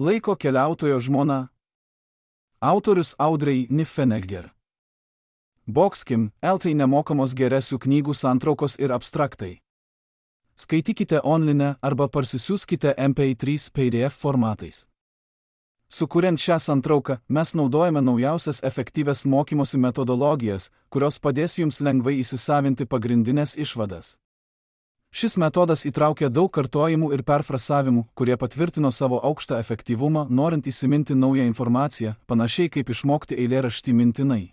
Laiko keliautojo žmona. Autorius Audrey Niffenegger. Boxkim, LT nemokamos geresių knygų santraukos ir abstraktai. Skaitykite online arba parsisiųskite MP3 PDF formatais. Sukuriant šią santrauką, mes naudojame naujausias efektyvias mokymosi metodologijas, kurios padės jums lengvai įsisavinti pagrindinės išvadas. Šis metodas įtraukia daug kartojimų ir perfrasavimų, kurie patvirtino savo aukštą efektyvumą, norint įsiminti naują informaciją, panašiai kaip išmokti eilėraštį mintinai.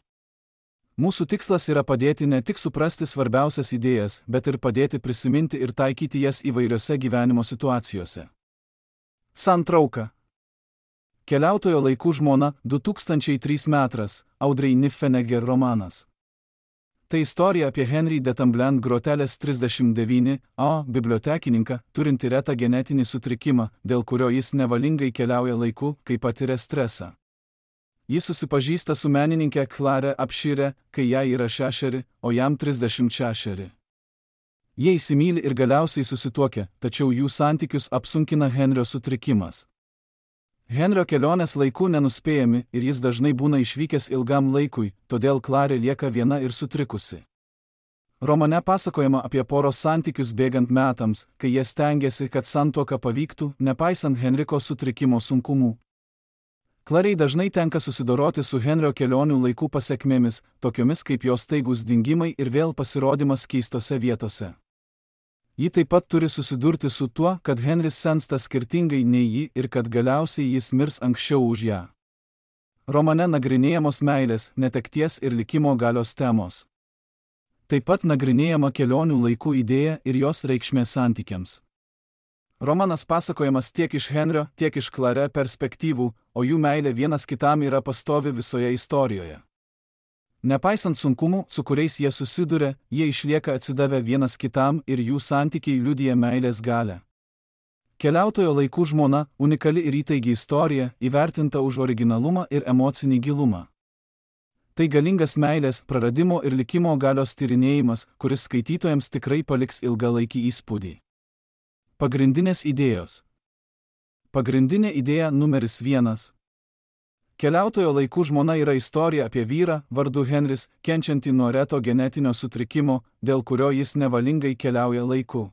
Mūsų tikslas yra padėti ne tik suprasti svarbiausias idėjas, bet ir padėti prisiminti ir taikyti jas įvairiose gyvenimo situacijose. Santrauka. Keliautojo laikų žmona, 2003 metras, Audrey Niffenegger romanas. Tai istorija apie Henry de Tamblen Grotelės 39A bibliotekininką, turinti retą genetinį sutrikimą, dėl kurio jis nevalingai keliauja laiku, kai patiria stresą. Jis susipažįsta su menininkė Clare Upshire, kai jai yra 6, o jam 36. Jie įsimyli ir galiausiai susituokia, tačiau jų santykius apsunkina Henrio sutrikimas. Henrio kelionės laiku nenuspėjami ir jis dažnai būna išvykęs ilgam laikui, todėl Clarė lieka viena ir sutrikusi. Romane pasakojama apie poros santykius bėgant metams, kai jie stengiasi, kad santuoka pavyktų, nepaisant Henriko sutrikimo sunkumų. Clarei dažnai tenka susidoroti su Henrio kelionių laikų pasekmėmis, tokiomis kaip jos staigus dingimai ir vėl pasirodymas keistose vietose. Ji taip pat turi susidurti su tuo, kad Henris sensta skirtingai nei ji ir kad galiausiai jis mirs anksčiau už ją. Romane nagrinėjamos meilės, netekties ir likimo galios temos. Taip pat nagrinėjama kelionių laikų idėja ir jos reikšmė santykiams. Romanas pasakojamas tiek iš Henrio, tiek iš Clare perspektyvų, o jų meilė vienas kitam yra pastovi visoje istorijoje. Nepaisant sunkumų, su kuriais jie susiduria, jie išlieka atsidavę vienas kitam ir jų santykiai liudija meilės galią. Keliautojo laikų žmona – unikali ir įtaigi istorija, įvertinta už originalumą ir emocinį gilumą. Tai galingas meilės, praradimo ir likimo galios tyrinėjimas, kuris skaitytojams tikrai paliks ilgalaikį įspūdį. Pagrindinės idėjos. Pagrindinė idėja numeris 1. Keliautojo laikų žmona yra istorija apie vyrą, vardu Henris, kenčiantį nuo reto genetinio sutrikimo, dėl kurio jis nevalingai keliauja laiku.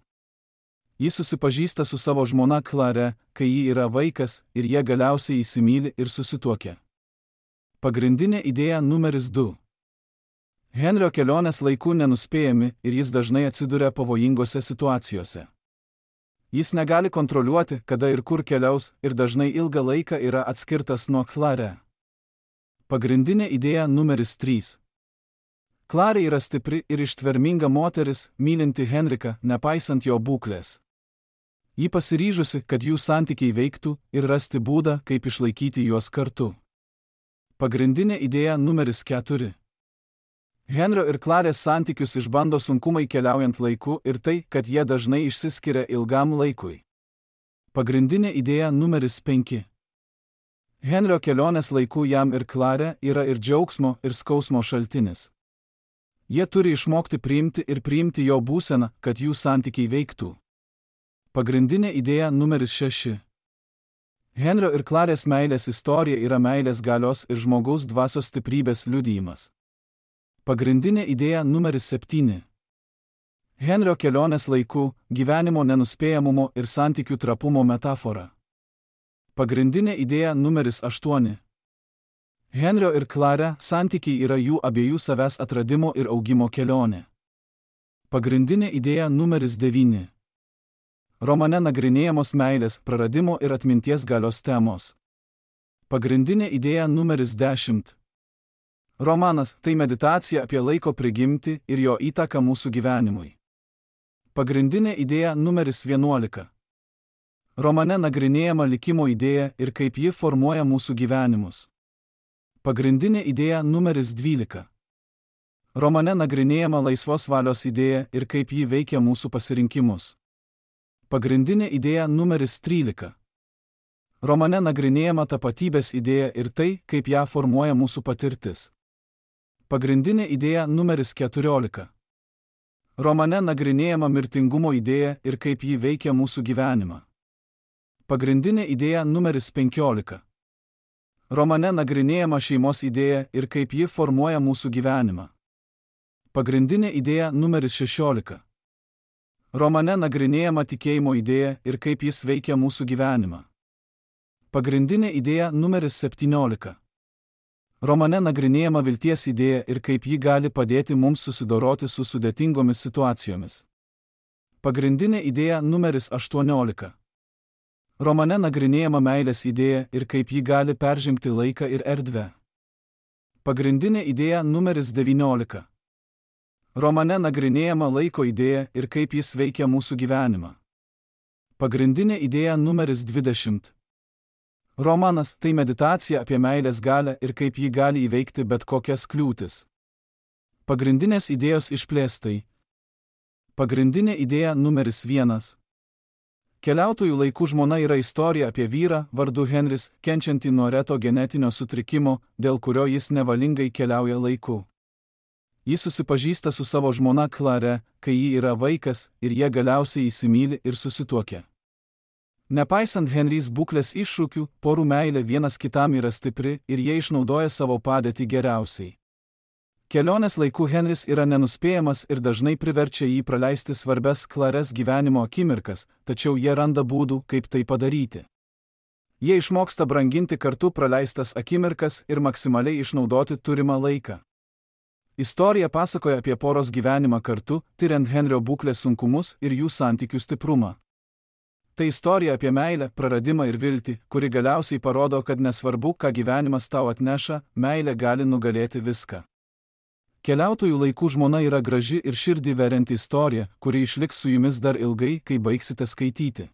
Jis susipažįsta su savo žmona Clare, kai ji yra vaikas, ir jie galiausiai įsimyli ir susituokia. Pagrindinė idėja numeris 2. Henrio kelionės laiku nenuspėjami ir jis dažnai atsiduria pavojingose situacijose. Jis negali kontroliuoti, kada ir kur keliaus, ir dažnai ilgą laiką yra atskirtas nuo Clare. Pagrindinė idėja numeris 3. Clare yra stipri ir ištverminga moteris, mylinti Henriką, nepaisant jo būklės. Ji pasiryžusi, kad jų santykiai veiktų ir rasti būdą, kaip išlaikyti juos kartu. Pagrindinė idėja numeris 4. Henrio ir Clarės santykius išbando sunkumai keliaujant laiku ir tai, kad jie dažnai išsiskiria ilgam laikui. Pagrindinė idėja numeris 5. Henrio kelionės laiku jam ir Clare yra ir džiaugsmo, ir skausmo šaltinis. Jie turi išmokti priimti jo būseną, kad jų santykiai veiktų. Pagrindinė idėja numeris 6. Henrio ir Clarės meilės istorija yra meilės galios ir žmogaus dvasios stiprybės liudijimas. Pagrindinė idėja numeris 7. Henrio kelionės laiku, gyvenimo nenuspėjamumo ir santykių trapumo metafora. Pagrindinė idėja numeris 8. Henrio ir Clare santykiai yra jų abiejų savęs atradimo ir augimo kelionė. Pagrindinė idėja numeris 9. Romane nagrinėjamos meilės, praradimo ir atminties galios temos. Pagrindinė idėja numeris 10. Romanas – tai meditacija apie laiko prigimtį ir jo įtaką mūsų gyvenimui. Pagrindinė idėja numeris 11. Romane nagrinėjama likimo idėja ir kaip ji formuoja mūsų gyvenimus. Pagrindinė idėja numeris 12. Romane nagrinėjama laisvos valios idėja ir kaip ji veikia mūsų pasirinkimus. Pagrindinė idėja numeris 13. Romane nagrinėjama tapatybės idėja ir tai, kaip ją formuoja mūsų patirtis. Pagrindinė idėja numeris 14. Romane nagrinėjama mirtingumo idėja ir kaip ji veikia mūsų gyvenimą. Pagrindinė idėja numeris 15. Romane nagrinėjama šeimos idėja ir kaip ji formuoja mūsų gyvenimą. Pagrindinė idėja numeris 16. Romane nagrinėjama tikėjimo idėja ir kaip jis veikia mūsų gyvenimą. Pagrindinė idėja numeris 17. Romane nagrinėjama vilties idėja ir kaip ji gali padėti mums susidoroti su sudėtingomis situacijomis. Pagrindinė idėja numeris 18. Romane nagrinėjama meilės idėja ir kaip ji gali peržengti laiką ir erdvę. Pagrindinė idėja numeris 19. Romane nagrinėjama laiko idėja ir kaip jis veikia mūsų gyvenimą. Pagrindinė idėja numeris 20. Romanas tai meditacija apie meilės galią ir kaip ji gali įveikti bet kokias kliūtis. Pagrindinės idėjos išplėstai. Pagrindinė idėja numeris 1. Keliautojų laikų žmona yra istorija apie vyrą, vardu Henris, kenčiantį nuo reto genetinio sutrikimo, dėl kurio jis nevalingai keliauja laiku. Jis susipažįsta su savo žmona Klare, kai ji yra vaikas, ir jie galiausiai įsimyli ir susituokia. Nepaisant Henrys būklės iššūkių, porų meilė vienas kitam yra stipri ir jie išnaudoja savo padėtį geriausiai. Kelionės laikų Henris yra nenuspėjamas ir dažnai priverčia jį praleisti svarbias Klares gyvenimo akimirkas, tačiau jie randa būdų, kaip tai padaryti. Jie išmoksta branginti kartu praleistas akimirkas ir maksimaliai išnaudoti turimą laiką. Istorija pasakoja apie poros gyvenimą kartu, tyriant Henrio būklės sunkumus ir jų santykių stiprumą. Tai istorija apie meilę, praradimą ir viltį, kuri galiausiai parodo, kad nesvarbu, ką gyvenimas tau atneša, meilė gali nugalėti viską. Keliautojų laikų žmona yra graži ir širdį verianti istorija, kuri išliks su jumis dar ilgai, kai baigsite skaityti.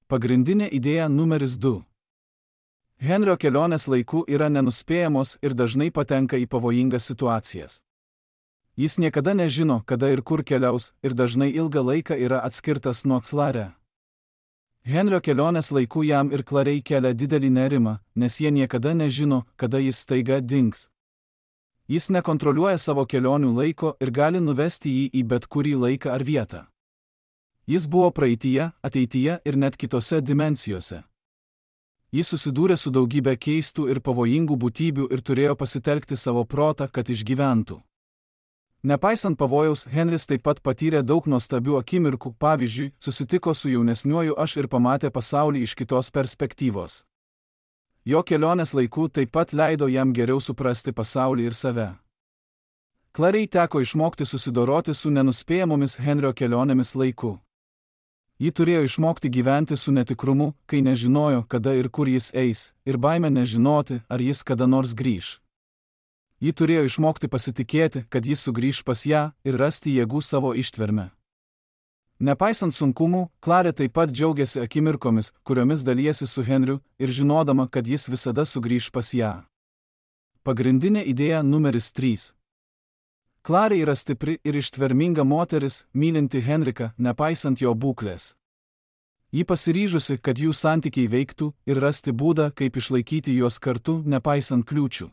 Pagrindinė idėja numeris 2. Henrio kelionės laikų yra nenuspėjamos ir dažnai patenka į pavojingas situacijas. Jis niekada nežino, kada ir kur keliaus, ir dažnai ilgą laiką yra atskirtas nuo Klare. Henrio kelionės laikų jam ir Klarei kelia didelį nerimą, nes jie niekada nežino, kada jis staiga dings. Jis nekontroliuoja savo kelionių laiko ir gali nuvesti jį į bet kurį laiką ar vietą. Jis buvo praeityje, ateityje ir net kitose dimensijose. Jis susidūrė su daugybė keistų ir pavojingų būtybių ir turėjo pasitelkti savo protą, kad išgyventų. Nepaisant pavojaus, Henris taip pat patyrė daug nuostabių akimirkų, pavyzdžiui, susitiko su jaunesniuoju aš ir pamatė pasaulį iš kitos perspektyvos. Jo kelionės laikų taip pat leido jam geriau suprasti pasaulį ir save. Klarei teko išmokti susidoroti su nenuspėjamomis Henrio kelionėmis laiku. Ji turėjo išmokti gyventi su netikrumu, kai nežinojo, kada ir kur jis eis, ir baimę nežinoti, ar jis kada nors grįš. Ji turėjo išmokti pasitikėti, kad jis sugrįš pas ją ir rasti jėgų savo ištverme. Nepaisant sunkumų, Klarė taip pat džiaugiasi akimirkomis, kuriomis dalijasi su Henriu ir žinodama, kad jis visada sugrįš pas ją. Pagrindinė idėja numeris 3. Klarė yra stipri ir ištverminga moteris, mylinti Henriką, nepaisant jo būklės. Ji pasiryžusi, kad jų santykiai veiktų ir rasti būdą, kaip išlaikyti juos kartu, nepaisant kliūčių.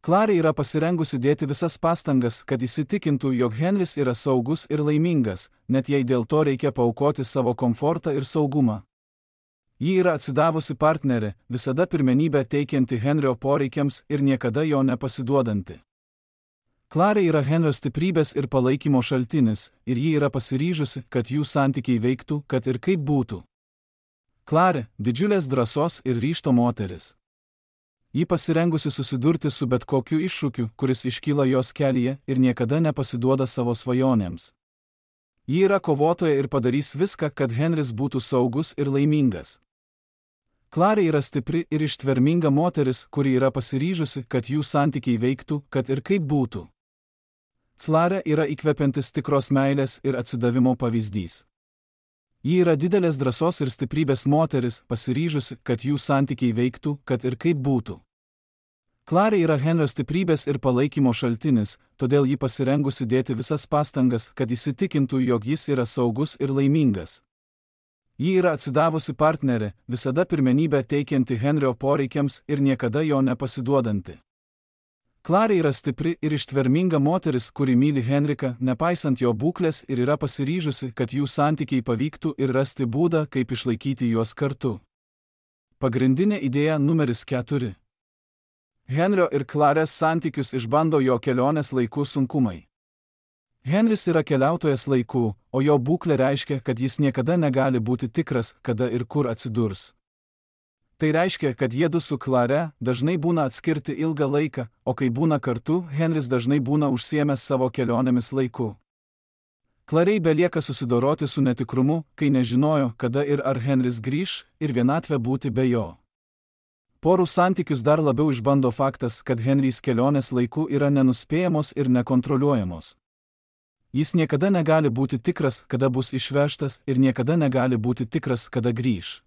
Klarė yra pasirengusi dėti visas pastangas, kad įsitikintų, jog Henris yra saugus ir laimingas, net jei dėl to reikia paaukoti savo komfortą ir saugumą. Ji yra atsidavusi partnerė, visada pirmenybę teikianti Henrio poreikiams ir niekada jo nepasiduodanti. Klarė yra Henrio stiprybės ir palaikymo šaltinis, ir ji yra pasiryžusi, kad jų santykiai veiktų, kad ir kaip būtų. Klarė – didžiulės drąsos ir ryžto moteris. Ji pasirengusi susidurti su bet kokiu iššūkiu, kuris iškyla jos kelyje ir niekada nepasiduoda savo svajonėms. Ji yra kovotoja ir padarys viską, kad Henris būtų saugus ir laimingas. Klarė yra stipri ir ištverminga moteris, kuri yra pasiryžusi, kad jų santykiai veiktų, kad ir kaip būtų. Klarė yra įkvepiantis tikros meilės ir atsidavimo pavyzdys. Ji yra didelės drąsos ir stiprybės moteris, pasiryžusi, kad jų santykiai veiktų, kad ir kaip būtų. Klarė yra Henrio stiprybės ir palaikymo šaltinis, todėl ji pasirengusi dėti visas pastangas, kad įsitikintų, jog jis yra saugus ir laimingas. Ji yra atsidavusi partnerė, visada pirmenybę teikianti Henrio poreikiams ir niekada jo nepasiduodanti. Klarė yra stipri ir ištverminga moteris, kuri myli Henriką, nepaisant jo būklės ir yra pasiryžusi, kad jų santykiai pavyktų ir rasti būdą, kaip išlaikyti juos kartu. Pagrindinė idėja numeris 4. Henrio ir Klarės santykius išbando jo kelionės laikų sunkumai. Henris yra keliautojas laikų, o jo būklė reiškia, kad jis niekada negali būti tikras, kada ir kur atsidurs. Tai reiškia, kad jiedu su Klare dažnai būna atskirti ilgą laiką, o kai būna kartu, Henris dažnai būna užsiėmęs savo kelionėmis laiku. Klarei belieka susidoroti su netikrumu, kai nežinojo, kada ir ar Henris grįš, ir vienatvė būti be jo. Porų santykius dar labiau išbando faktas, kad Henrys kelionės laiku yra nenuspėjamos ir nekontroliuojamos. Jis niekada negali būti tikras, kada bus išvežtas, ir niekada negali būti tikras, kada grįš.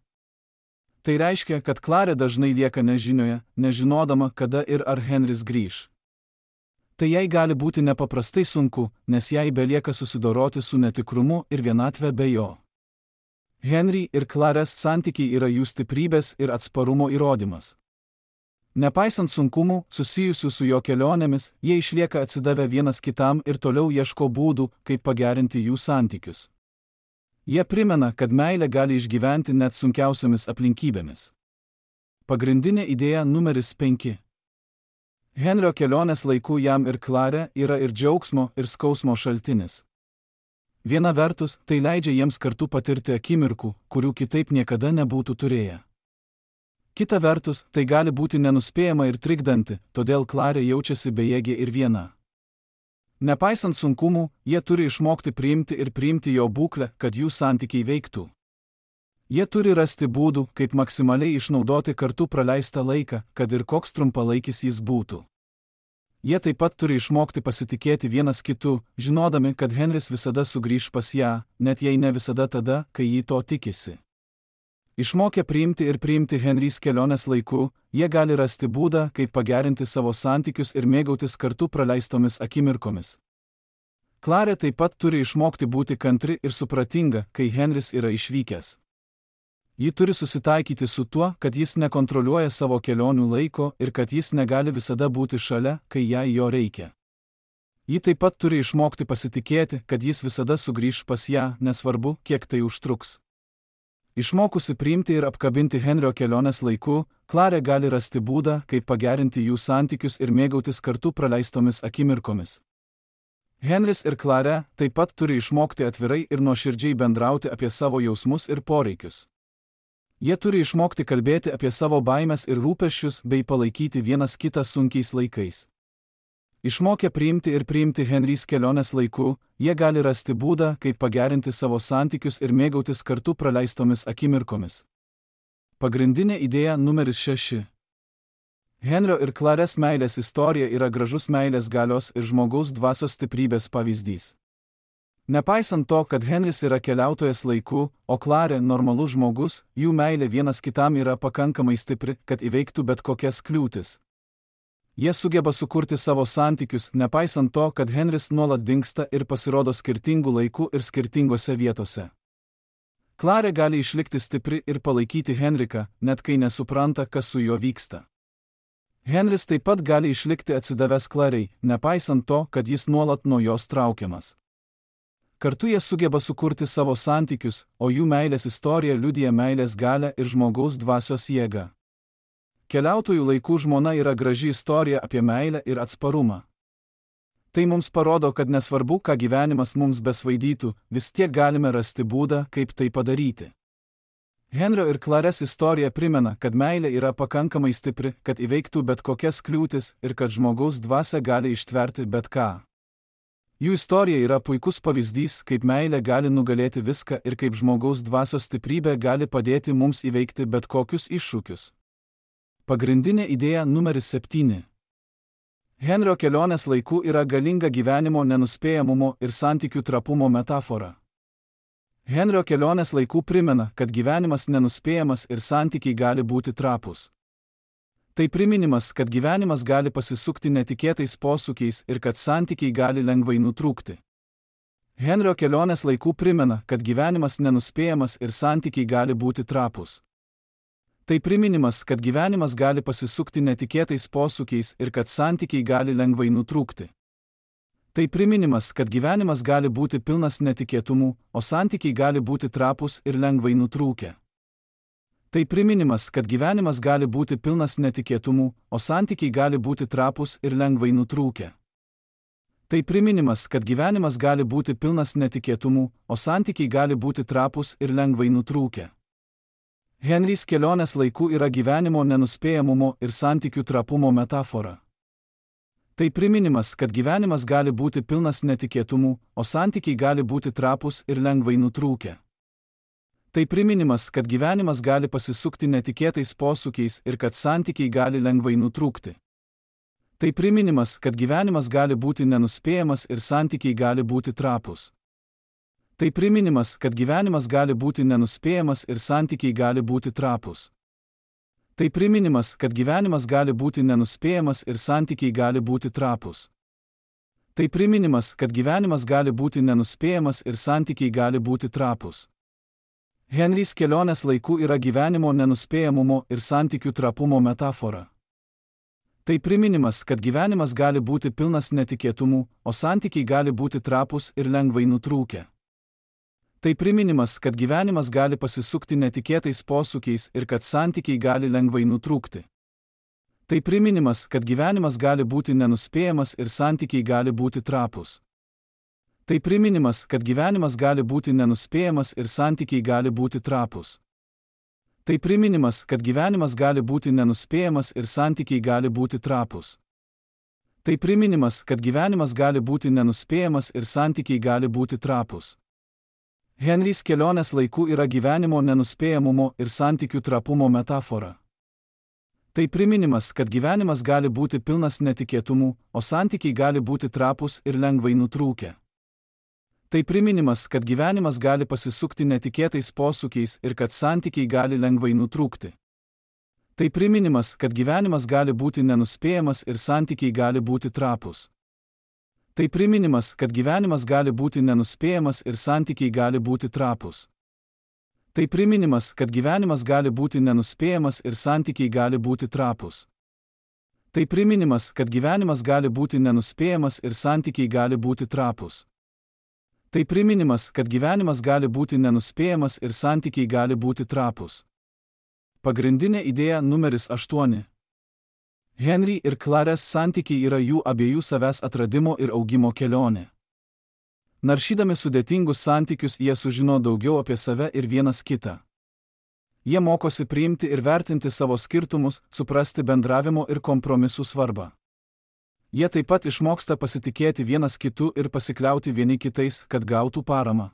Tai reiškia, kad Klarė dažnai lieka nežinioje, nežinodama, kada ir ar Henris grįž. Tai jai gali būti nepaprastai sunku, nes jai belieka susidoroti su netikrumu ir vienatvė be jo. Henry ir Klarės santykiai yra jų stiprybės ir atsparumo įrodymas. Nepaisant sunkumų, susijusių su jo kelionėmis, jie išlieka atsidavę vienas kitam ir toliau ieško būdų, kaip pagerinti jų santykius. Jie primena, kad meilė gali išgyventi net sunkiausiamis aplinkybėmis. Pagrindinė idėja numeris 5. Henrio kelionės laikų jam ir Klarė yra ir džiaugsmo, ir skausmo šaltinis. Viena vertus, tai leidžia jiems kartu patirti akimirkų, kurių kitaip niekada nebūtų turėję. Kita vertus, tai gali būti nenuspėjama ir trikdanti, todėl Klarė jaučiasi bejėgė ir viena. Nepaisant sunkumų, jie turi išmokti priimti jo būklę, kad jų santykiai veiktų. Jie turi rasti būdų, kaip maksimaliai išnaudoti kartu praleistą laiką, kad ir koks trumpalaikis jis būtų. Jie taip pat turi išmokti pasitikėti vienas kitu, žinodami, kad Henris visada sugrįš pas ją, net jei ne visada tada, kai jį to tikisi. Išmokę priimti Henrys kelionės laiku, jie gali rasti būdą, kaip pagerinti savo santykius ir mėgautis kartu praleistomis akimirkomis. Klarė taip pat turi išmokti būti kantri ir supratinga, kai Henris yra išvykęs. Ji turi susitaikyti su tuo, kad jis nekontroliuoja savo kelionių laiko ir kad jis negali visada būti šalia, kai jai jo reikia. Ji taip pat turi išmokti pasitikėti, kad jis visada sugrįš pas ją, nesvarbu, kiek tai užtruks. Išmokusi priimti ir apkabinti Henrio kelionės laiku, Klarė gali rasti būdą, kaip pagerinti jų santykius ir mėgautis kartu praleistomis akimirkomis. Henris ir Klarė taip pat turi išmokti atvirai ir nuoširdžiai bendrauti apie savo jausmus ir poreikius. Jie turi išmokti kalbėti apie savo baimes ir rūpesčius bei palaikyti vienas kitą sunkiais laikais. Išmokę priimti Henrys kelionės laiku, jie gali rasti būdą, kaip pagerinti savo santykius ir mėgautis kartu praleistomis akimirkomis. Pagrindinė idėja numeris 6. Henrio ir Klarės meilės istorija yra gražus meilės galios ir žmogaus dvasios stiprybės pavyzdys. Nepaisant to, kad Henris yra keliautojas laiku, o Klarė normalus žmogus, jų meilė vienas kitam yra pakankamai stipri, kad įveiktų bet kokias kliūtis. Jie sugeba sukurti savo santykius, nepaisant to, kad Henris nuolat dingsta ir pasirodo skirtingų laikų ir skirtingose vietose. Klarė gali išlikti stipri ir palaikyti Henriką, net kai nesupranta, kas su juo vyksta. Henris taip pat gali išlikti atsidavęs Klarei, nepaisant to, kad jis nuolat nuo jos traukiamas. Kartu jie sugeba sukurti savo santykius, o jų meilės istorija liudija meilės galią ir žmogaus dvasios jėgą. Keliautojų laikų žmona yra graži istorija apie meilę ir atsparumą. Tai mums parodo, kad nesvarbu, ką gyvenimas mums besvaidytų, vis tiek galime rasti būdą, kaip tai padaryti. Henrio ir Klarės istorija primena, kad meilė yra pakankamai stipri, kad įveiktų bet kokias kliūtis ir kad žmogaus dvasia gali ištverti bet ką. Jų istorija yra puikus pavyzdys, kaip meilė gali nugalėti viską ir kaip žmogaus dvasios stiprybė gali padėti mums įveikti bet kokius iššūkius. Pagrindinė idėja numeris 7. Henrio kelionės laiku yra galinga gyvenimo nenuspėjamumo ir santykių trapumo metafora. Henrio kelionės laikų primena, kad gyvenimas nenuspėjamas ir santykiai gali būti trapūs. Tai priminimas, kad gyvenimas gali pasisukti netikėtais posūkiais ir kad santykiai gali lengvai nutrūkti. Henrio kelionės laikų primena, kad gyvenimas nenuspėjamas ir santykiai gali būti trapūs. Tai priminimas, kad gyvenimas gali pasisukti netikėtais posūkiais ir kad santykiai gali lengvai nutrūkti. Tai priminimas, kad gyvenimas gali būti pilnas netikėtumų, o santykiai gali būti trapūs ir lengvai nutrūkę. Tai priminimas, kad gyvenimas gali būti pilnas netikėtumų, o santykiai gali būti trapūs ir lengvai nutrūkę. Tai priminimas, kad gyvenimas gali būti pilnas netikėtumų, o santykiai gali būti trapūs ir lengvai nutrūkę. Henrys kelionės laikų yra gyvenimo nenuspėjamumo ir santykių trapumo metafora. Tai priminimas, kad gyvenimas gali būti pilnas netikėtumų, o santykiai gali būti trapūs ir lengvai nutrūkę. Tai priminimas, kad gyvenimas gali pasisukti netikėtais posūkiais ir kad santykiai gali lengvai nutrūkti. Tai priminimas, kad gyvenimas gali būti nenuspėjamas ir santykiai gali būti trapūs. Tai priminimas, kad gyvenimas gali būti nenuspėjamas ir santykiai gali būti trapūs. Tai priminimas, kad gyvenimas gali būti nenuspėjamas ir santykiai gali būti trapūs. Tai priminimas, kad gyvenimas gali būti nenuspėjamas ir santykiai gali būti trapūs. Henrys kelionės laikų yra gyvenimo nenuspėjamumo ir santykių trapumo metafora. Tai priminimas, kad gyvenimas gali būti pilnas netikėtumų, o santykiai gali būti trapūs ir lengvai nutrūkę. Tai priminimas, kad gyvenimas gali pasisukti netikėtais posūkiais ir kad santykiai gali lengvai nutrūkti. Tai priminimas, kad gyvenimas gali būti nenuspėjamas ir santykiai gali būti trapūs. Tai priminimas, kad gyvenimas gali būti nenuspėjamas ir santykiai gali būti trapūs. Tai priminimas, kad gyvenimas gali būti nenuspėjamas ir santykiai gali būti trapūs. Tai priminimas, kad gyvenimas gali būti nenuspėjamas ir santykiai gali būti trapūs. Henrys kelionės laikų yra gyvenimo nenuspėjamumo ir santykių trapumo metafora. Tai priminimas, kad gyvenimas gali būti pilnas netikėtumų, o santykiai gali būti trapūs ir lengvai nutrūkę. Tai priminimas, kad gyvenimas gali pasisukti netikėtais posūkiais ir kad santykiai gali lengvai nutrūkti. Tai priminimas, kad gyvenimas gali būti nenuspėjamas ir santykiai gali būti trapūs. Tai priminimas, kad gyvenimas gali būti nenuspėjamas ir santykiai gali būti trapūs. Tai priminimas, kad gyvenimas gali būti nenuspėjamas ir santykiai gali būti trapūs. Tai priminimas, kad gyvenimas gali būti nenuspėjamas ir santykiai gali būti trapūs. Tai priminimas, kad gyvenimas gali būti nenuspėjamas ir santykiai gali būti trapūs. Pagrindinė idėja numeris 8. Henry ir Clarės santykiai yra jų abiejų savęs atradimo ir augimo kelionė. Naršydami sudėtingus santykius jie sužino daugiau apie save ir vienas kitą. Jie mokosi priimti ir vertinti savo skirtumus, suprasti bendravimo ir kompromisų svarbą. Jie taip pat išmoksta pasitikėti vienas kitu ir pasikliauti vieni kitais, kad gautų paramą.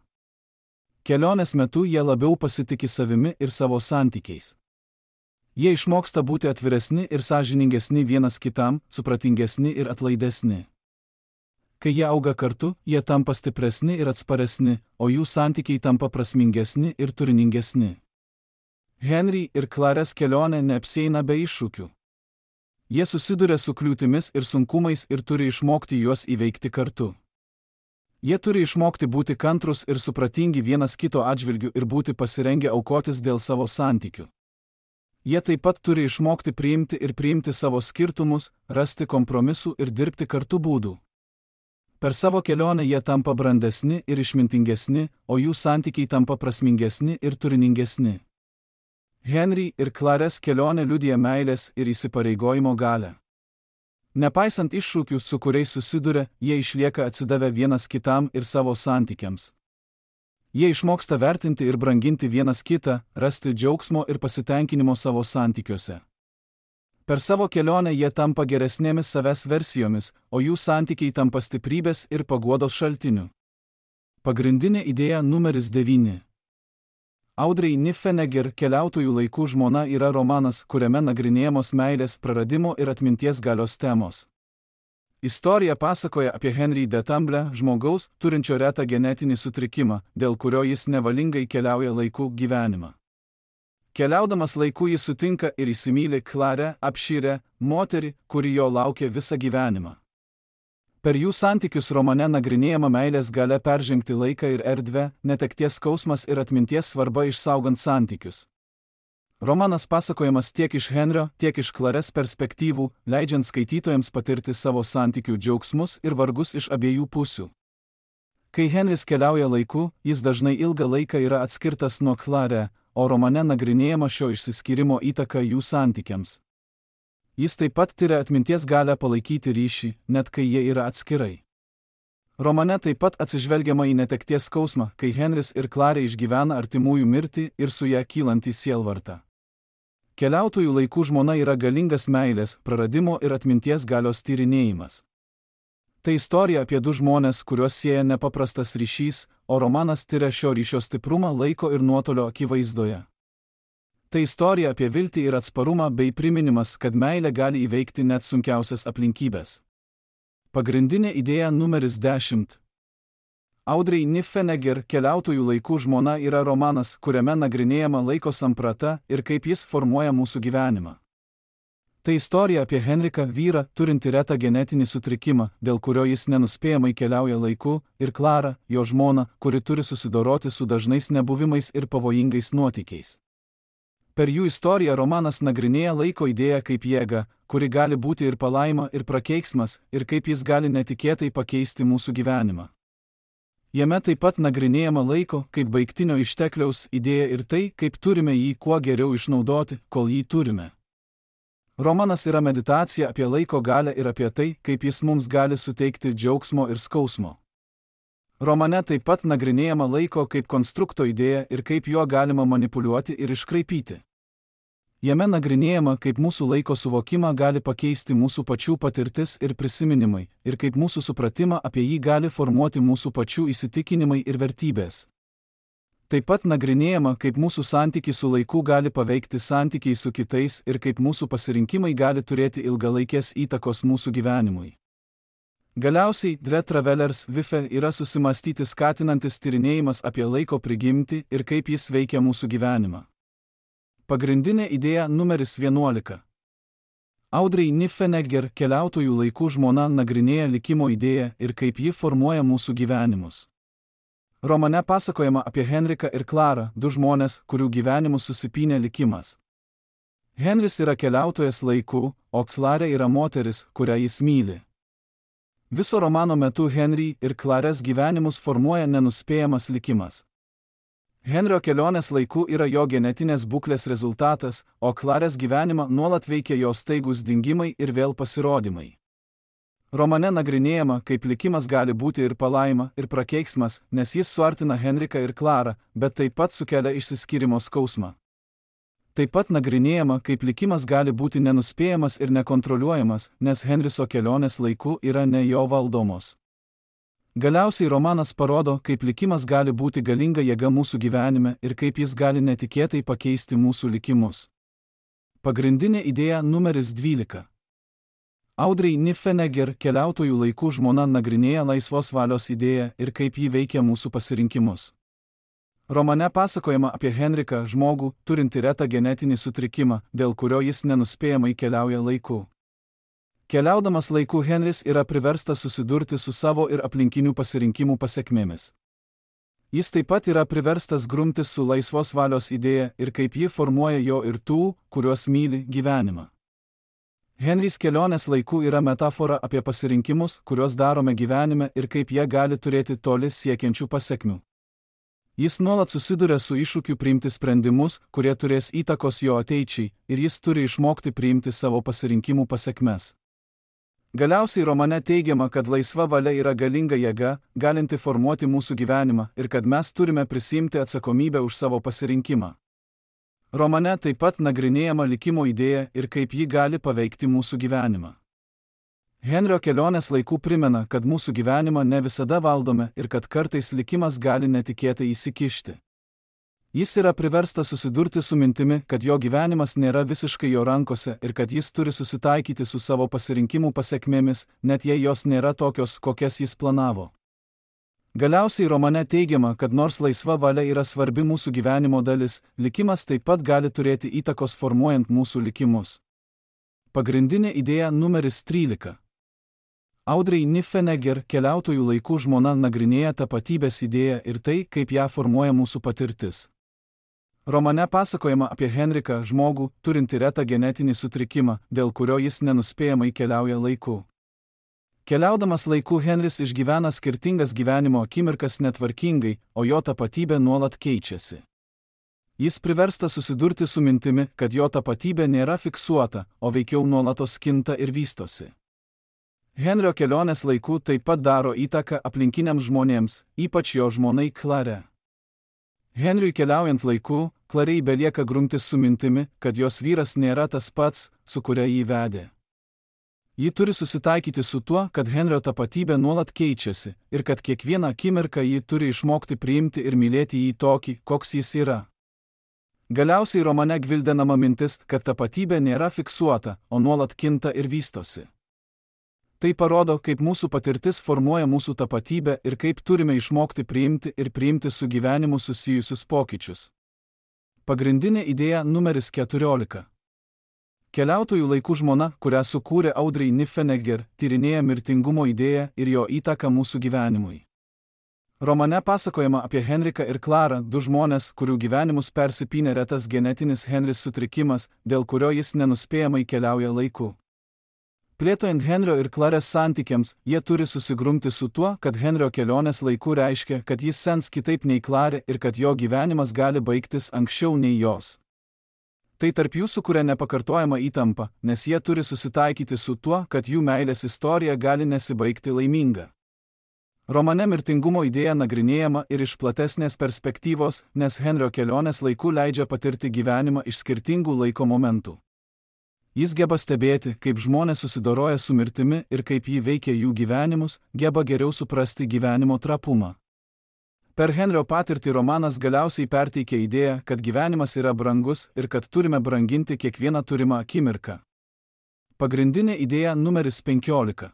Kelionės metu jie labiau pasitiki savimi ir savo santykiais. Jie išmoksta būti atviresni ir sąžiningesni vienas kitam, supratingesni ir atlaidesni. Kai jie auga kartu, jie tampa stipresni ir atsparesni, o jų santykiai tampa prasmingesni ir turiningesni. Henry ir Clarės kelionė neapsieina be iššūkių. Jie susiduria su kliūtimis ir sunkumais ir turi išmokti juos įveikti kartu. Jie turi išmokti būti kantrus ir supratingi vienas kito atžvilgiu ir būti pasirengę aukotis dėl savo santykių. Jie taip pat turi išmokti priimti savo skirtumus, rasti kompromisų ir dirbti kartu būdų. Per savo kelionę jie tampa brandesni ir išmintingesni, o jų santykiai tampa prasmingesni ir turiningesni. Henry ir Clarės kelionė liudija meilės ir įsipareigojimo galią. Nepaisant iššūkių, su kuriais susiduria, jie išlieka atsidavę vienas kitam ir savo santykiams. Jie išmoksta vertinti ir branginti vienas kitą, rasti džiaugsmo ir pasitenkinimo savo santykiuose. Per savo kelionę jie tampa geresnėmis savęs versijomis, o jų santykiai tampa stiprybės ir paguodos šaltiniu. Pagrindinė idėja numeris 9. Audrey Niffenegger keliautojų laikų žmona yra romanas, kuriame nagrinėjamos meilės, praradimo ir atminties galios temos. Istorija pasakoja apie Henry de Tamble, žmogaus, turinčio retą genetinį sutrikimą, dėl kurio jis nevalingai keliauja laikų gyvenimą. Keliaudamas laiku jis sutinka ir įsimyli Clarę, apšyrę, moterį, kuri jo laukia visą gyvenimą. Per jų santykius romane nagrinėjama meilės galia peržengti laiką ir erdvę, netekties skausmas ir atminties svarba išsaugant santykius. Romanas pasakojamas tiek iš Henrio, tiek iš Clares perspektyvų, leidžiant skaitytojams patirti savo santykių džiaugsmus ir vargus iš abiejų pusių. Kai Henris keliauja laiku, jis dažnai ilgą laiką yra atskirtas nuo Clare, o romane nagrinėjama šio išsiskyrimo įtaka jų santykiams. Jis taip pat tyria atminties galią palaikyti ryšį, net kai jie yra atskirai. Romane taip pat atsižvelgiama į netekties skausmą, kai Henris ir Clarė išgyvena artimųjų mirtį ir su ją kylantį sielvartą. Keliautojų laikų žmona yra galingas meilės, praradimo ir atminties galios tyrinėjimas. Tai istorija apie du žmones, kuriuos sieja nepaprastas ryšys, o romanas tyria šio ryšio stiprumą laiko ir nuotolio akivaizdoje. Tai istorija apie viltį ir atsparumą bei priminimas, kad meilė gali įveikti net sunkiausias aplinkybės. Pagrindinė idėja numeris 10. Audrey Niffenegger Keliautojų laikų žmona yra romanas, kuriame nagrinėjama laiko samprata ir kaip jis formuoja mūsų gyvenimą. Tai istorija apie Henriką, vyrą, turintį retą genetinį sutrikimą, dėl kurio jis nenuspėjamai keliauja laiku, ir Clarą, jo žmoną, kuri turi susidoroti su dažnais nebuvimais ir pavojingais nuotykiais. Per jų istoriją romanas nagrinėja laiko idėją kaip jėgą, kuri gali būti ir palaima, ir prakeiksmas, ir kaip jis gali netikėtai pakeisti mūsų gyvenimą. Jame taip pat nagrinėjama laiko kaip baigtinio ištekliaus idėja ir tai, kaip turime jį kuo geriau išnaudoti, kol jį turime. Romanas yra meditacija apie laiko galią ir apie tai, kaip jis mums gali suteikti džiaugsmo ir skausmo. Romane taip pat nagrinėjama laiko kaip konstrukto idėja ir kaip juo galima manipuliuoti ir iškraipyti. Jame nagrinėjama, kaip mūsų laiko suvokimą gali pakeisti mūsų pačių patirtis ir prisiminimai, ir kaip mūsų supratimą apie jį gali formuoti mūsų pačių įsitikinimai ir vertybės. Taip pat nagrinėjama, kaip mūsų santykiai su laiku gali paveikti santykiai su kitais ir kaip mūsų pasirinkimai gali turėti ilgalaikės įtakos mūsų gyvenimui. Galiausiai, Dve Travelers Vife yra susimastyti skatinantis tyrinėjimas apie laiko prigimtį ir kaip jis veikia mūsų gyvenimą. Pagrindinė idėja numeris 11. Audrey Niffenegger Keliautojų laikų žmona nagrinėja likimo idėją ir kaip ji formuoja mūsų gyvenimus. Romane pasakojama apie Henriką ir Clarą, du žmonės, kurių gyvenimus susipynė likimas. Henris yra keliautojas laiku, o Clarė yra moteris, kurią jis myli. Viso romano metu Henry ir Clarės gyvenimus formuoja nenuspėjamas likimas. Henrio kelionės laiku yra jo genetinės būklės rezultatas, o Clarės gyvenimą nuolat veikia jos staigūs dingimai ir vėl pasirodymai. Romane nagrinėjama, kaip likimas gali būti ir palaima, ir prakeiksmas, nes jis suartina Henriką ir Clarą, bet taip pat sukelia išsiskyrimo skausmą. Taip pat nagrinėjama, kaip likimas gali būti nenuspėjamas ir nekontroliuojamas, nes Henriso kelionės laiku yra ne jo valdomos. Galiausiai romanas parodo, kaip likimas gali būti galinga jėga mūsų gyvenime ir kaip jis gali netikėtai pakeisti mūsų likimus. Pagrindinė idėja numeris 12. Audrey Niffenegger Keliautojų laikų žmona nagrinėja laisvos valios idėją ir kaip ji veikia mūsų pasirinkimus. Romane pasakojama apie Henriką, žmogų, turintį retą genetinį sutrikimą, dėl kurio jis nenuspėjamai keliauja laiku. Keliaudamas laiku Henris yra priverstas susidurti su savo ir aplinkinių pasirinkimų pasekmėmis. Jis taip pat yra priverstas grumtis su laisvos valios idėja ir kaip ji formuoja jo ir tų, kuriuos myli, gyvenimą. Henrys kelionės laiku yra metafora apie pasirinkimus, kuriuos darome gyvenime ir kaip jie gali turėti toli siekiančių pasekmių. Jis nuolat susiduria su iššūkiu priimti sprendimus, kurie turės įtakos jo ateičiai, ir jis turi išmokti priimti savo pasirinkimų pasekmes. Galiausiai romane teigiama, kad laisva valia yra galinga jėga, galinti formuoti mūsų gyvenimą ir kad mes turime prisiimti atsakomybę už savo pasirinkimą. Romane taip pat nagrinėjama likimo idėja ir kaip ji gali paveikti mūsų gyvenimą. Henrio kelionės laikų primena, kad mūsų gyvenimą ne visada valdome ir kad kartais likimas gali netikėtai įsikišti. Jis yra priverstas susidurti su mintimi, kad jo gyvenimas nėra visiškai jo rankose ir kad jis turi susitaikyti su savo pasirinkimų pasekmėmis, net jei jos nėra tokios, kokias jis planavo. Galiausiai romane teigiama, kad nors laisva valia yra svarbi mūsų gyvenimo dalis, likimas taip pat gali turėti įtakos formuojant mūsų likimus. Pagrindinė idėja numeris 13. Audrey Niffenegger Keliautojų laikų žmona nagrinėja tapatybės idėją ir tai, kaip ją formuoja mūsų patirtis. Romane pasakojama apie Henriką, žmogų, turintį retą genetinį sutrikimą, dėl kurio jis nenuspėjamai keliauja laiku. Keliaudamas laiku Henris išgyvena skirtingas gyvenimo akimirkas netvarkingai, o jo tapatybė nuolat keičiasi. Jis priverstas susidurti su mintimi, kad jo tapatybė nėra fiksuota, o veikiau nuolatos kinta ir vystosi. Henrio kelionės laiku taip pat daro įtaką aplinkiniams žmonėms, ypač jo žmonai Klare. Henriui keliaujant laiku, Klarei belieka grumtis su mintimi, kad jos vyras nėra tas pats, su kuria jį vedė. Ji turi susitaikyti su tuo, kad Henrio tapatybė nuolat keičiasi ir kad kiekvieną akimirką ji turi išmokti priimti ir mylėti jį tokį, koks jis yra. Galiausiai romane gvildenama mintis, kad tapatybė nėra fiksuota, o nuolat kinta ir vystosi. Tai parodo, kaip mūsų patirtis formuoja mūsų tapatybę ir kaip turime išmokti priimti su gyvenimu susijusius pokyčius. Pagrindinė idėja numeris 14. Keliautojų laikų žmona, kurią sukūrė Audrey Niffenegger, tyrinėja mirtingumo idėją ir jo įtaką mūsų gyvenimui. Romane pasakojama apie Henriką ir Klarą, du žmonės, kurių gyvenimus persipynė retas genetinis Henris sutrikimas, dėl kurio jis nenuspėjamai keliauja laiku. Plėtojant Henrio ir Klarės santykiams, jie turi susigrumti su tuo, kad Henrio kelionės laiku reiškia, kad jis sens kitaip nei Klarė ir kad jo gyvenimas gali baigtis anksčiau nei jos. Tai tarp jų sukuria nepakartojama įtampa, nes jie turi susitaikyti su tuo, kad jų meilės istorija gali nesibaigti laiminga. Romane mirtingumo idėja nagrinėjama ir iš platesnės perspektyvos, nes Henrio kelionės laiku leidžia patirti gyvenimą iš skirtingų laiko momentų. Jis geba stebėti, kaip žmonės susidoroja su mirtimi ir kaip jį veikia jų gyvenimus, geba geriau suprasti gyvenimo trapumą. Per Henrio patirtį romanas galiausiai perteikia idėją, kad gyvenimas yra brangus ir kad turime branginti kiekvieną turimą akimirką. Pagrindinė idėja numeris 15.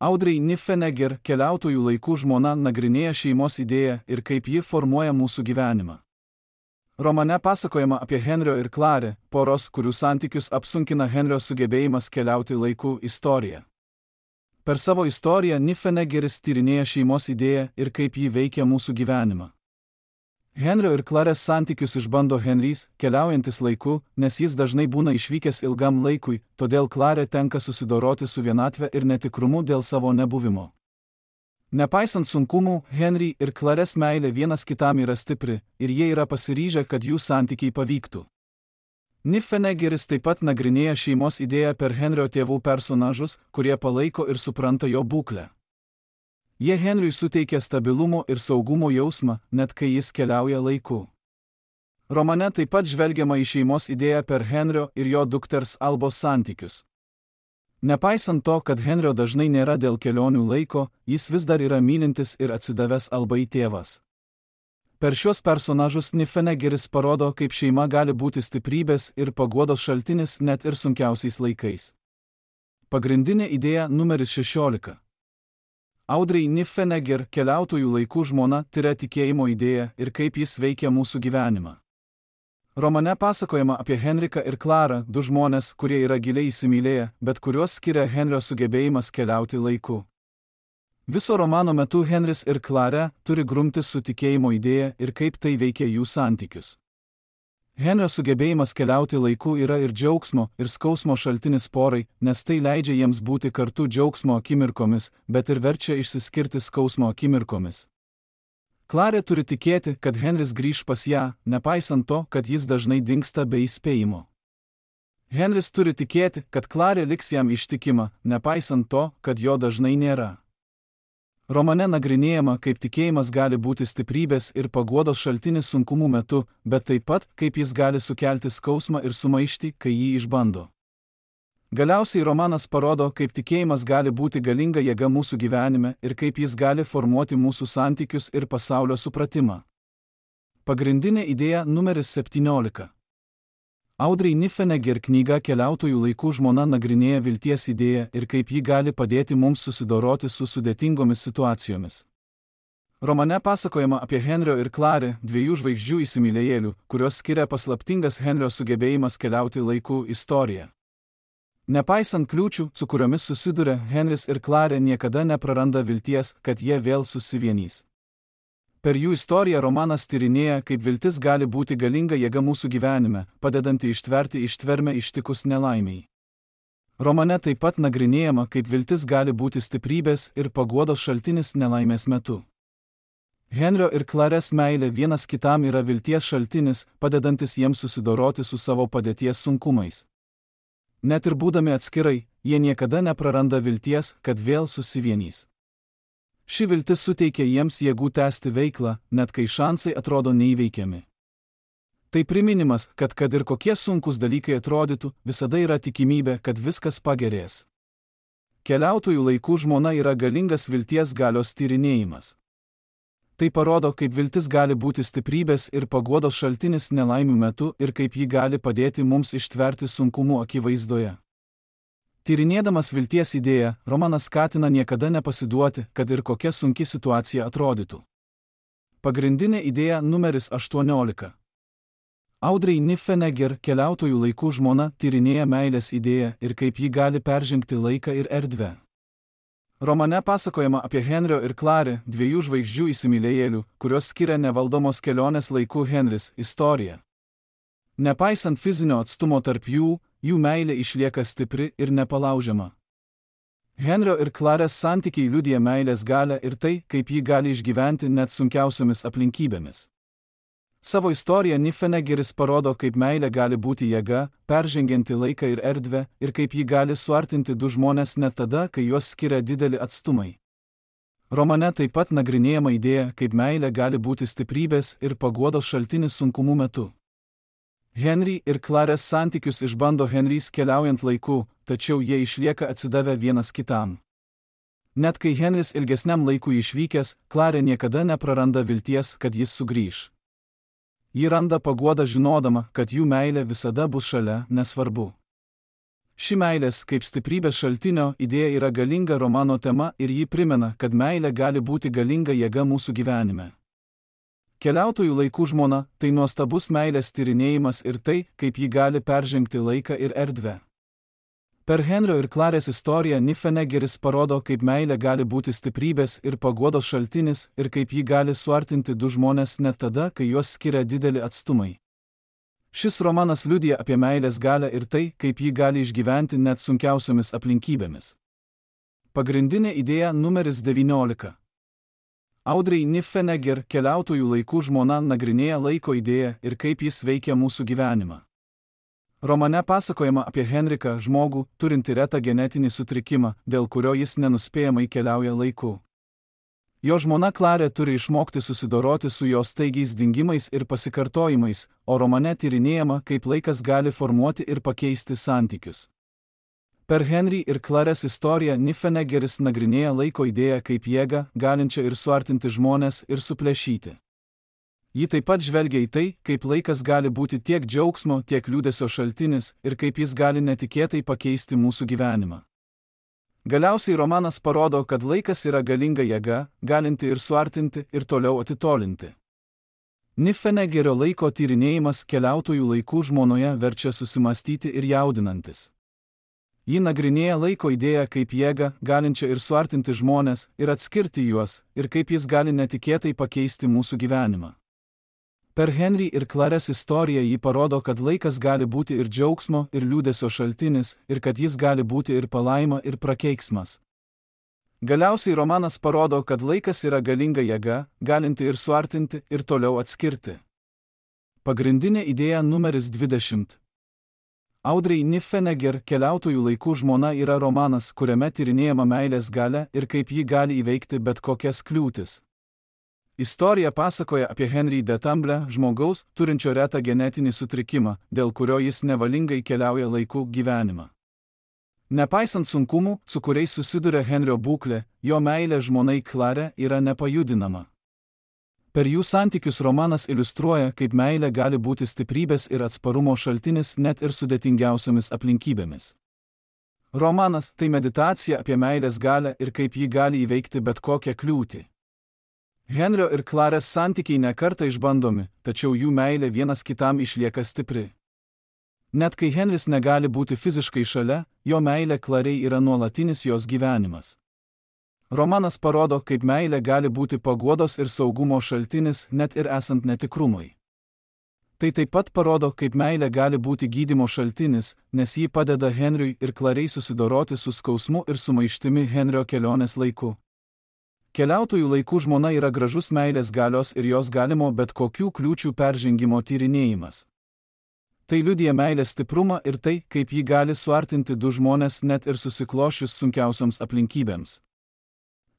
Audrey Niffenegger, keliautojų laikų žmona, nagrinėja šeimos idėją ir kaip ji formuoja mūsų gyvenimą. Romane pasakojama apie Henrio ir Klarę, poros, kurių santykius apsunkina Henrio sugebėjimas keliauti laiku istoriją. Per savo istoriją Niffeneggeris tyrinėja šeimos idėją ir kaip ji veikia mūsų gyvenimą. Henrio ir Klarės santykius išbando Henrys, keliaujantis laiku, nes jis dažnai būna išvykęs ilgam laikui, todėl Klarė tenka susidoroti su vienatve ir netikrumu dėl savo nebuvimo. Nepaisant sunkumų, Henry ir Klarės meilė vienas kitam yra stipri ir jie yra pasiryžę, kad jų santykiai pavyktų. Niffeneggeris taip pat nagrinėja šeimos idėją per Henrio tėvų personažus, kurie palaiko ir supranta jo būklę. Jie Henriui suteikia stabilumo ir saugumo jausmą, net kai jis keliauja laiku. Romane taip pat žvelgiama į šeimos idėją per Henrio ir jo dukters Albos santykius. Nepaisant to, kad Henrio dažnai nėra dėl kelionių laiko, jis vis dar yra mylintis ir atsidavęs Albai tėvas. Per šios personažus Niffeneggeris parodo, kaip šeima gali būti stiprybės ir paguodos šaltinis net ir sunkiausiais laikais. Pagrindinė idėja numeris 16. Audrey Niffenegger, keliautojų laikų žmona, tiria tikėjimo idėją ir kaip jis veikia mūsų gyvenimą. Romane pasakojama apie Henriką ir Klarą, du žmonės, kurie yra giliai įsimylėję, bet kuriuos skiria Henrio sugebėjimas keliauti laiku. Viso romano metu Henris ir Klarė turi grumtis su tikėjimo idėja ir kaip tai veikia jų santykius. Henrio sugebėjimas keliauti laiku yra ir džiaugsmo, ir skausmo šaltinis porai, nes tai leidžia jiems būti kartu džiaugsmo akimirkomis, bet ir verčia išsiskirti skausmo akimirkomis. Klarė turi tikėti, kad Henris grįš pas ją, nepaisant to, kad jis dažnai dingsta be įspėjimo. Henris turi tikėti, kad Klarė liks jam ištikima, nepaisant to, kad jo dažnai nėra. Romane nagrinėjama, kaip tikėjimas gali būti stiprybės ir paguodos šaltinis sunkumų metu, bet taip pat, kaip jis gali sukelti skausmą ir sumaištį, kai jį išbando. Galiausiai romanas parodo, kaip tikėjimas gali būti galinga jėga mūsų gyvenime ir kaip jis gali formuoti mūsų santykius ir pasaulio supratimą. Pagrindinė idėja numeris 17. Audrey Niffenegger knyga Keliautojų laikų žmona nagrinėja vilties idėją ir kaip ji gali padėti mums susidoroti su sudėtingomis situacijomis. Romane pasakojama apie Henrio ir Klarę, dviejų žvaigždžių įsimylėjėlių, kurios skiria paslaptingas Henrio sugebėjimas keliauti laiku istoriją. Nepaisant kliūčių, su kuriomis susiduria, Henris ir Klarė niekada nepraranda vilties, kad jie vėl susivienys. Per jų istoriją romanas tyrinėja, kaip viltis gali būti galinga jėga mūsų gyvenime, padedanti ištverti ištvermę ištikus nelaimiai. Romane taip pat nagrinėjama, kaip viltis gali būti stiprybės ir paguodos šaltinis nelaimės metu. Henrio ir Clarės meilė vienas kitam yra vilties šaltinis, padedantis jiems susidoroti su savo padėties sunkumais. Net ir būdami atskirai, jie niekada nepraranda vilties, kad vėl susivienys. Ši viltis suteikia jiems jėgų tęsti veiklą, net kai šansai atrodo neįveikiami. Tai priminimas, kad ir kokie sunkus dalykai atrodytų, visada yra tikimybė, kad viskas pagerės. Keliautojų laikų žmona yra galingas vilties galios tyrinėjimas. Tai parodo, kaip viltis gali būti stiprybės ir paguodos šaltinis nelaimių metu ir kaip ji gali padėti mums ištverti sunkumų akivaizdoje. Tyrinėdamas vilties idėją, romanas skatina niekada nepasiduoti, kad ir kokia sunki situacija atrodytų. Pagrindinė idėja numeris 18. Audrey Niffenegger, keliautojų laikų žmona, tyrinėja meilės idėją ir kaip ji gali peržengti laiką ir erdvę. Romane pasakojama apie Henrio ir Clarę, dviejų žvaigždžių įsimylėjėlių, kurios skiria nevaldomos kelionės laikų Henris, istoriją. Nepaisant fizinio atstumo tarp jų meilė išlieka stipri ir nepalaužiama. Henrio ir Clarės santykiai liudija meilės galią ir tai, kaip ji gali išgyventi net sunkiausiomis aplinkybėmis. Savo istoriją Niffeneggeris parodo, kaip meilė gali būti jėga, peržengianti laiką ir erdvę, ir kaip ji gali suartinti du žmones net tada, kai juos skiria dideli atstumai. Romane taip pat nagrinėjama idėja, kaip meilė gali būti stiprybės ir paguodos šaltinis sunkumų metu. Henry ir Clarės santykius išbando Henrys keliaujant laiku, tačiau jie išlieka atsidavę vienas kitam. Net kai Henris ilgesniam laikui išvykęs, Clarė niekada nepraranda vilties, kad jis sugrįš. Ji randa paguodą žinodama, kad jų meilė visada bus šalia, nesvarbu. Ši meilės kaip stiprybės šaltinio idėja yra galinga romano tema ir ji primena, kad meilė gali būti galinga jėga mūsų gyvenime. Keliautojų laikų žmona – tai nuostabus meilės tyrinėjimas ir tai, kaip ji gali peržengti laiką ir erdvę. Per Henrio ir Clarės istoriją Niffeneggeris parodo, kaip meilė gali būti stiprybės ir paguodos šaltinis ir kaip ji gali suartinti du žmones net tada, kai juos skiria dideli atstumai. Šis romanas liudija apie meilės galią ir tai, kaip ji gali išgyventi net sunkiausiomis aplinkybėmis. Pagrindinė idėja numeris 19. Audrey Niffenegger, keliautojų laikų žmona, nagrinėja laiko idėją ir kaip jis veikia mūsų gyvenimą. Romane pasakojama apie Henriką, žmogų, turintį retą genetinį sutrikimą, dėl kurio jis nenuspėjamai keliauja laiku. Jo žmona Clarė turi išmokti susidoroti su jos staigiais dingimais ir pasikartojimais, o romane tyrinėjama, kaip laikas gali formuoti ir pakeisti santykius. Per Henry ir Clarės istoriją Niffeneggeris nagrinėja laiko idėją kaip jėgą, galinčią ir suartinti žmones ir suplėšyti. Ji taip pat žvelgia į tai, kaip laikas gali būti tiek džiaugsmo, tiek liūdesio šaltinis ir kaip jis gali netikėtai pakeisti mūsų gyvenimą. Galiausiai romanas parodo, kad laikas yra galinga jėga, galinti ir suartinti, ir toliau atitolinti. Niffeneggerio laiko tyrinėjimas keliautojų laikų žmonoje verčia susimastyti ir jaudinantis. Ji nagrinėja laiko idėją kaip jėgą, galinčią ir suartinti žmones, ir atskirti juos, ir kaip jis gali netikėtai pakeisti mūsų gyvenimą. Per Henry ir Clarės istoriją ji parodo, kad laikas gali būti ir džiaugsmo, ir liūdesio šaltinis, ir kad jis gali būti ir palaima, ir prakeiksmas. Galiausiai romanas parodo, kad laikas yra galinga jėga, galinti ir suartinti, ir toliau atskirti. Pagrindinė idėja numeris 20. Audrey Niffenegger, keliautojų laikų žmona, yra romanas, kuriame tyrinėjama meilės galia ir kaip ji gali įveikti bet kokias kliūtis. Istorija pasakoja apie Henry de Tamblę, žmogaus, turinčio retą genetinį sutrikimą, dėl kurio jis nevalingai keliauja laiku gyvenimą. Nepaisant sunkumų, su kuriais susiduria Henrio būklė, jo meilė žmonai Clarė yra nepajudinama. Per jų santykius romanas iliustruoja, kaip meilė gali būti stiprybės ir atsparumo šaltinis net ir sudėtingiausiomis aplinkybėmis. Romanas – tai meditacija apie meilės galią ir kaip ji gali įveikti bet kokią kliūtį. Henrio ir Clarės santykiai nekartą išbandomi, tačiau jų meilė vienas kitam išlieka stipri. Net kai Henris negali būti fiziškai šalia, jo meilė Clarei yra nuolatinis jos gyvenimas. Romanas parodo, kaip meilė gali būti paguodos ir saugumo šaltinis, net ir esant netikrumui. Tai taip pat parodo, kaip meilė gali būti gydymo šaltinis, nes ji padeda Henriui ir Klariai susidoroti su skausmu ir sumaištimi Henrio kelionės laiku. Keliautojų laikų žmona yra gražus meilės galios ir jos galimo bet kokių kliūčių peržengimo tyrinėjimas. Tai liudija meilės stiprumą ir tai, kaip ji gali suartinti du žmones net ir susiklošius sunkiausioms aplinkybėms.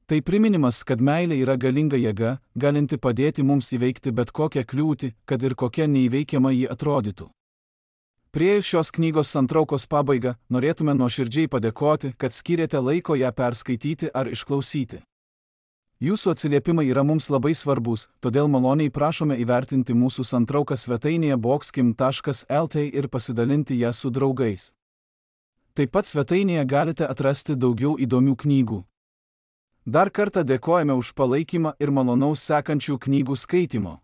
Tai priminimas, kad meilė yra galinga jėga, galinti padėti mums įveikti bet kokią kliūtį, kad ir kokia neįveikiama ji atrodytų. Priėjus šios knygos santraukos pabaigą, norėtume nuoširdžiai padėkoti, kad skyrėte laiko ją perskaityti ar išklausyti. Jūsų atsiliepimai yra mums labai svarbus, todėl maloniai prašome įvertinti mūsų santrauką svetainėje boxkim.lt ir pasidalinti ją su draugais. Taip pat svetainėje galite atrasti daugiau įdomių knygų. Dar kartą dėkojame už palaikymą ir malonaus sekančių knygų skaitimo.